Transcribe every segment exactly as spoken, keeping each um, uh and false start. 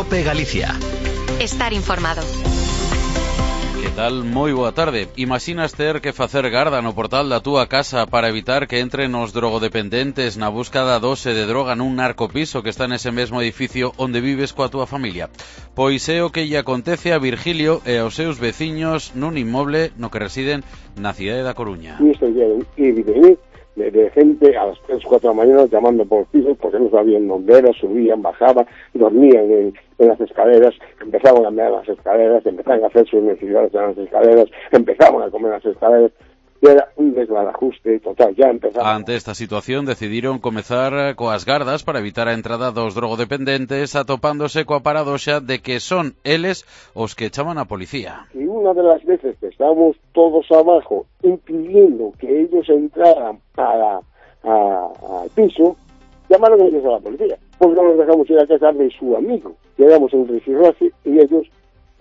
COPE Galicia. Estar informado. Que tal? Moi boa tarde. Imaxinas ter que facer garda no portal da túa casa para evitar que entren os drogodependentes na busca da dose de droga nun narcopiso que está nese mesmo edificio onde vives coa túa familia? Pois é o que lle acontece a Virgilio e aos seus veciños nun inmoble no que residen na cidade da Coruña. Y esto ya ir y venir de, de gente a las tres, cuatro de la mañana llamando por pisos porque no sabían dónde era, subían, bajaban, dormían en, en las escaleras, empezaban a mear las escaleras, empezaban a hacer sus necesidades en las escaleras, empezaban a comer las escaleras. E era un desbarajuste total, ya empezaba. Ante esta situación decidiron comezar coas gardas para evitar a entrada dos drogodependentes, atopándose coa paradoxa de que son eles os que chaman a policía. Y una de las veces que estábamos todos abajo impidiendo que ellos entraran para al piso, llamaron ellos a la policía, porque no nos dejamos ir a casa de su amigo. Quedamos en rifirrafe y ellos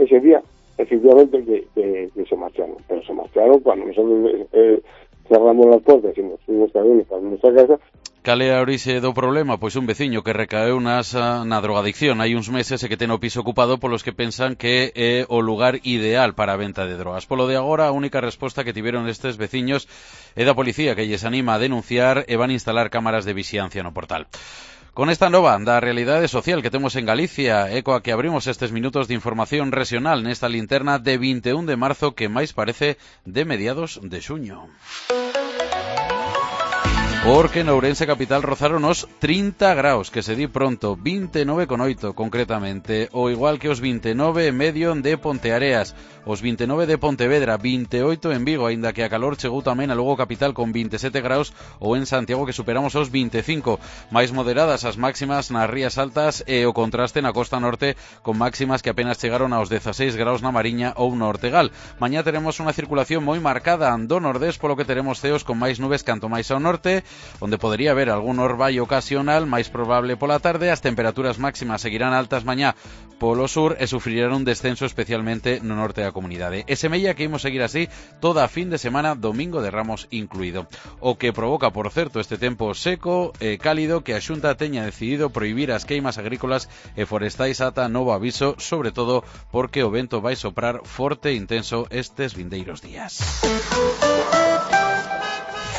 ese día efectivamente que, que, que se marcharon, pero se marcharon cuando nosotros eh, cerramos las puertas y nos fuimos también para nuestra casa. Cal é a orixe do problema? Pois un veciño que recaeu nas, na drogadicción hai uns meses e que ten o piso ocupado polos que pensan que é o lugar ideal para a venta de drogas. Polo de agora, a única resposta que tiveron estes veciños é da policía, que lles anima a denunciar e van a instalar cámaras de vixiancia no portal. Con esta nova da realidade social que temos en Galicia e coa que abrimos estes minutos de información regional nesta linterna de vinte e un de marzo que máis parece de mediados de xuño. Porque en Ourense capital rozaron os trinta graus, que se di pronto, vinte e nove con oito concretamente, o igual que os vinte e nove e medio de Ponteareas, os vinte e nove de Pontevedra, vinte e oito en Vigo, aínda que a calor chegou tamén a Lugo capital con vinte e sete graus, ou en Santiago que superamos os vinte e cinco, máis moderadas as máximas nas rías altas e o contraste na costa norte con máximas que apenas chegaron aos dezaseis graus na Mariña ou no Ortegal. Mañá teremos unha circulación moi marcada do nordés, polo que teremos ceos con máis nubes canto máis ao norte, onde podería haber algún orballo ocasional, máis probable pola tarde. As temperaturas máximas seguirán altas mañá polo sur e sufrirán un descenso especialmente no norte da comunidade. E semella que imos seguir así toda a fin de semana, domingo de Ramos incluído. O que provoca, por certo, este tempo seco e cálido que a Xunta teña decidido prohibir as queimas agrícolas e forestais ata novo aviso, sobre todo porque o vento vai soprar forte e intenso estes vindeiros días.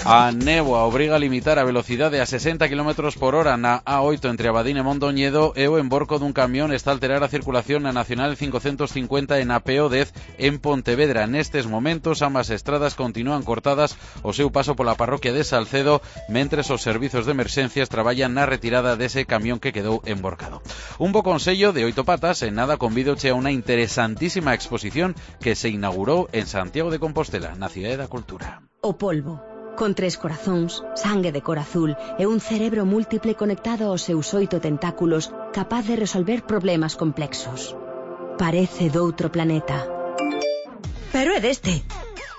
A néboa obriga a limitar a velocidade a sesenta kilómetros por hora na A oito entre Abadín e Mondoñedo e o emborco dun camión está a alterar a circulación na Nacional cincocentos cincuenta e na P O dez en Pontevedra. Nestes momentos, ambas estradas continúan cortadas o seu paso pola parroquia de Salcedo, mentres os servizos de emerxencias traballan na retirada dese camión que quedou emborcado. Un bo consello de Oito Patas, en nada convídoche a unha interesantísima exposición que se inaugurou en Santiago de Compostela, na Cidade da Cultura. O polvo. Con tres corazóns, sangue de cor azul e un cerebro múltiple conectado aos seus oito tentáculos capaz de resolver problemas complexos. Parece doutro planeta. Pero é deste.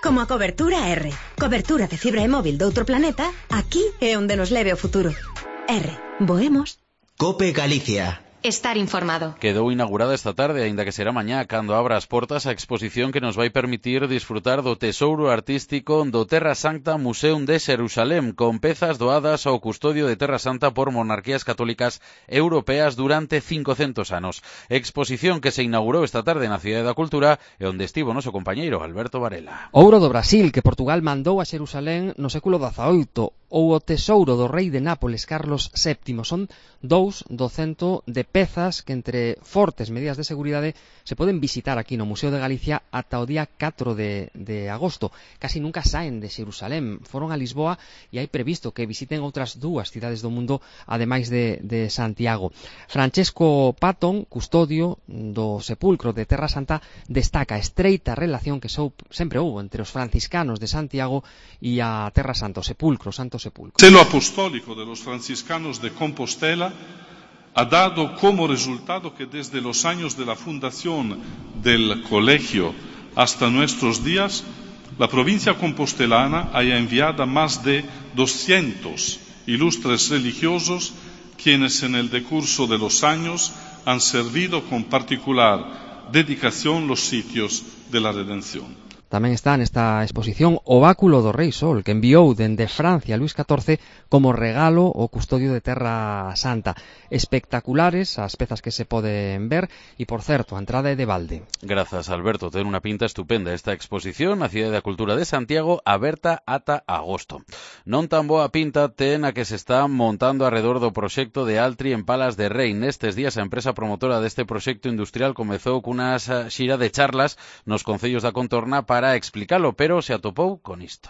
Como a cobertura R. Cobertura de fibra e móvil doutro planeta, aquí é onde nos leve o futuro. R. Voemos. COPE Galicia. Estar informado. Quedou inaugurada esta tarde, aínda que será mañá, cando abra as portas a exposición que nos vai permitir disfrutar do tesouro artístico do Terra Santa Museum de Xerusalén, con pezas doadas ao custodio de Terra Santa por monarquías católicas europeas durante cincocentos anos. Exposición que se inaugurou esta tarde na Cidade da Cultura e onde estivo o noso compañeiro Alberto Varela. Ouro do Brasil que Portugal mandou a Xerusalén no século dezaoito, ou o tesouro do rei de Nápoles Carlos séptimo. Son dous do cento de pezas que entre fortes medidas de seguridade se poden visitar aquí no Museo de Galicia ata o día catro de, de agosto. Casi nunca saen de Xerusalén, foron a Lisboa e hai previsto que visiten outras dúas cidades do mundo ademais de, de Santiago. Francesco Patton, custodio do sepulcro de Terra Santa, destaca a estreita relación que sou, sempre houve entre os franciscanos de Santiago e a Terra Santa, o sepulcro, o Santo Sepulcro. El celo apostólico de los franciscanos de Compostela ha dado como resultado que desde los años de la fundación del colegio hasta nuestros días, la provincia compostelana haya enviado más de doscientos ilustres religiosos, quienes en el decurso de los años han servido con particular dedicación los sitios de la redención. Tamén está nesta exposición o báculo do Rei Sol, que enviou dende Francia Luís catorce como regalo o custodio de Terra Santa. Espectaculares as pezas que se poden ver e, por certo, a entrada é de balde. Grazas, Alberto. Ten unha pinta estupenda esta exposición, a Cidade da Cultura de Santiago, aberta ata agosto. Non tan boa pinta ten a que se está montando arredor do proxecto de Altri en Palas de Rei. Nestes días a empresa promotora deste proxecto industrial comezou cunha xira de charlas nos concellos da contorna para explicalo, pero se atopou con isto.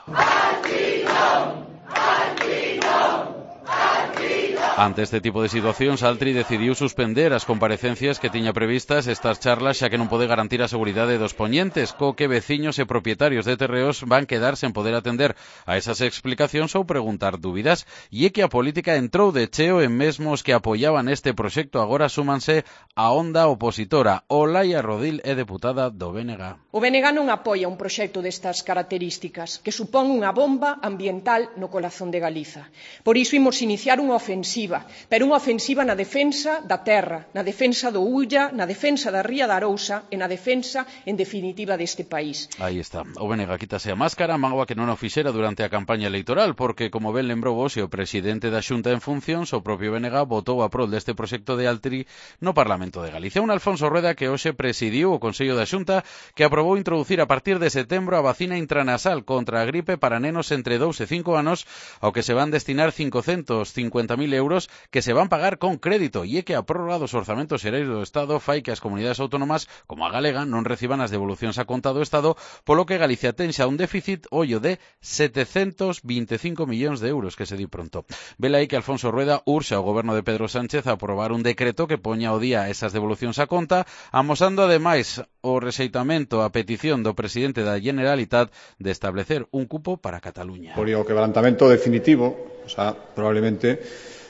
Ante este tipo de situacións, Altri decidiu suspender as comparecencias que tiña previstas estas charlas, xa que non pode garantir a seguridade dos poñentes, co que veciños e propietarios de terreos van quedar sen poder atender a esas explicacións ou preguntar dúbidas. E é que a política entrou de cheo en mesmo os que apoiaban este proxecto agora súmanse a onda opositora. Olaia Rodil é deputada do B N G. O B N G non apoia un proxecto destas características, que supón unha bomba ambiental no corazón de Galiza. Por iso imos iniciar unha ofensiva, pero unha ofensiva na defensa da terra, na defensa do Ulla, na defensa da Ría da Arousa e na defensa, en definitiva, deste país. Aí está. O B N G quítase a máscara, mágoa que non o fixera durante a campaña electoral, porque, como ben lembrou hoxe o presidente da Xunta en funcións, o propio B N G votou a prol deste proxecto de Altri no Parlamento de Galicia. Un Alfonso Rueda que hoxe presidiu o Consello da Xunta, que aprobou introducir a partir de setembro a vacina intranasal contra a gripe para nenos entre dous e cinco anos, ao que se van destinar cincocentos cincuenta mil euros que se van pagar con crédito, e é que a prórroga dos orzamentos xerais do Estado fai que as comunidades autónomas, como a galega, non reciban as devolucións a conta do Estado, polo que Galicia ten xa un déficit, ollo, de setecentos vinte e cinco millóns de euros, que se di pronto. Vela aí que Alfonso Rueda urxa ao goberno de Pedro Sánchez a aprobar un decreto que poña ao día esas devolucións a conta, amosando ademais o rexeitamento a petición do presidente da Generalitat de establecer un cupo para Cataluña. Por o quebrantamento definitivo, o sea, probablemente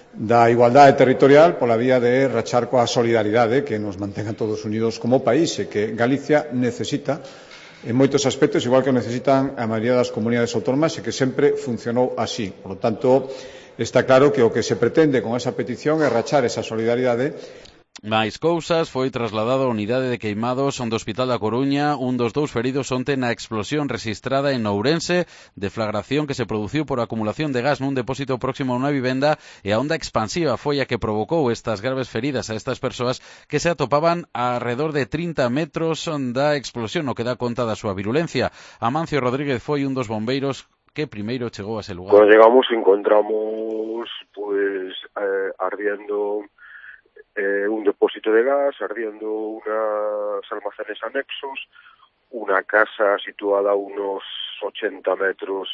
da igualdade territorial pola vía de rachar coa solidaridade que nos mantenga todos unidos como país e que Galicia necesita en moitos aspectos, igual que necesitan a maioría das comunidades autónomas e que sempre funcionou así. Por lo tanto, está claro que o que se pretende con esa petición é rachar esa solidaridade. Máis cousas, foi trasladado á unidade de queimados do Hospital da Coruña un dos dous feridos onte na explosión rexistrada en Ourense, deflagración que se produciu por acumulación de gas nun depósito próximo a unha vivenda, e a onda expansiva foi a que provocou estas graves feridas a estas persoas que se atopaban alrededor de trinta metros da explosión, o que dá conta da súa virulencia. Amancio Rodríguez foi un dos bombeiros que primeiro chegou a ese lugar. Cuando llegamos encontramos pues eh, ardiendo Eh, un depósito de gas, ardiendo unos almacenes anexos, una casa situada a unos ochenta metros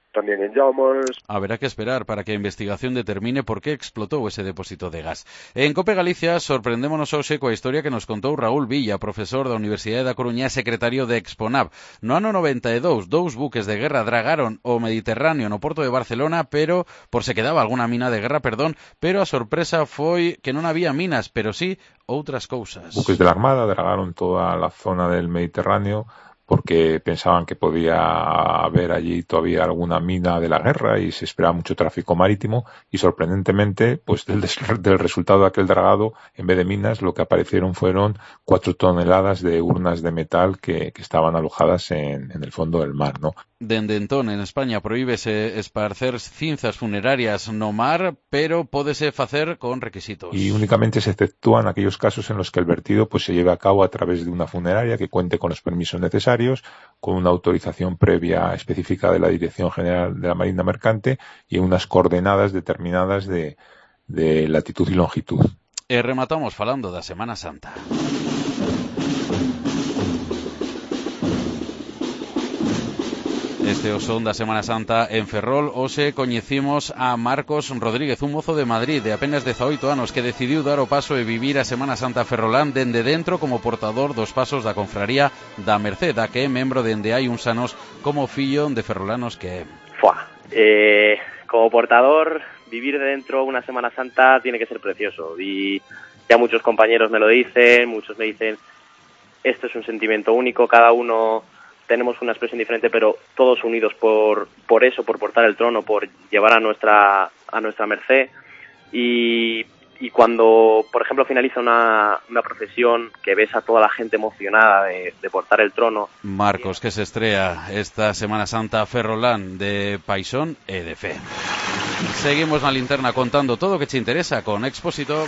también en llamas. Haberá que esperar para que a investigación determine por qué explotó ese depósito de gas. En Cope Galicia sorprendémonos hoxe coa historia que nos contou Raúl Villa, profesor da Universidade da Coruña e secretario de Exponab. No ano noventa e dous, dous buques de guerra dragaron o Mediterráneo no porto de Barcelona, pero por se quedaba alguna mina de guerra, perdón, pero a sorpresa foi que non había minas, pero sí outras cousas. Buques de la Armada dragaron toda a zona del Mediterráneo porque pensaban que podía haber allí todavía alguna mina de la guerra y se esperaba mucho tráfico marítimo, y sorprendentemente, pues del, del resultado de aquel dragado, en vez de minas, lo que aparecieron fueron cuatro toneladas de urnas de metal que, que estaban alojadas en, en el fondo del mar, ¿no? Dende entón, en España prohíbese esparcer cinzas funerarias no mar, pero pódese facer con requisitos. Y únicamente se exceptúan aquellos casos en los que el vertido pues se lleve a cabo a través de una funeraria que cuente con los permisos necesarios, con una autorización previa específica de la Dirección General de la Marina Mercante y unas coordenadas determinadas de, de latitud y longitud. E rematamos falando da Semana Santa. Este o son da Semana Santa en Ferrol. Hoxe coñecimos a Marcos Rodríguez, un mozo de Madrid de apenas dezaoito anos que decidiu dar o paso e vivir a Semana Santa ferrolán dende dentro como portador dos pasos da confraría da Merced, da que é membro dende hai uns anos como fillo de ferrolanos que é. Fua, eh, como portador, vivir dentro una Semana Santa tiene que ser precioso. Y ya muchos compañeros me lo dicen, muchos me dicen, esto es un sentimiento único, cada uno tenemos una expresión diferente, pero todos unidos por por eso, por portar el trono, por llevar a nuestra a nuestra merced. Y, y cuando, por ejemplo, finaliza una, una procesión, que ves a toda la gente emocionada de, de portar el trono. Marcos, que se estrella esta Semana Santa Ferrolán de Paixón e de Fe. Seguimos na linterna contando todo o que te interesa con Expósito.